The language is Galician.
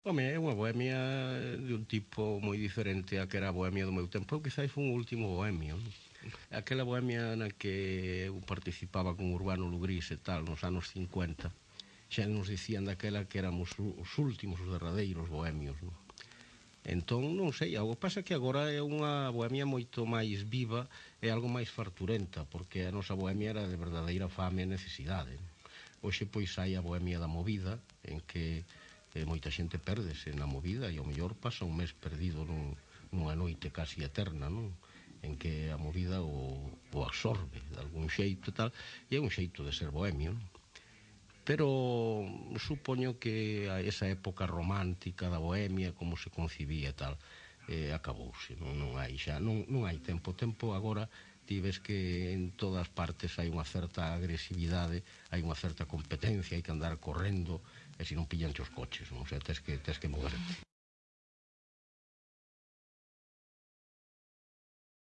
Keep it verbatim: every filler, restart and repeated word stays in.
Home, é unha bohemia de un tipo moi diferente a que era a bohemia do meu tempo. Eu quizás fui un último bohemio, non? Aquela bohemia na que eu participaba con Urbano Lugrís e tal, nos anos cincuenta, xa nos dicían daquela que éramos os últimos, os derradeiros bohemios, non? Entón, non sei, o que pasa é que agora é unha bohemia moito máis viva e algo máis farturenta, porque a nosa bohemia era de verdadeira fame e necesidade, non? Hoxe, pois, hai a bohemia da movida, en que eh, moita xente pérdese na movida e ao mellor pasa un mes perdido nun, nunha noite casi eterna, non? En que a movida o, o absorbe de algún xeito e tal, e é un xeito de ser bohemio, non? Pero supoño que a esa época romántica da bohemia, como se concibía e tal, eh, acabouse, non, non hai xa, non, non hai tempo, tempo agora ti ves que en todas partes hai unha certa agresividade, hai unha certa competencia, hai que andar correndo, e se non pillan os coches, non? O sea, tes que, tes que moverte.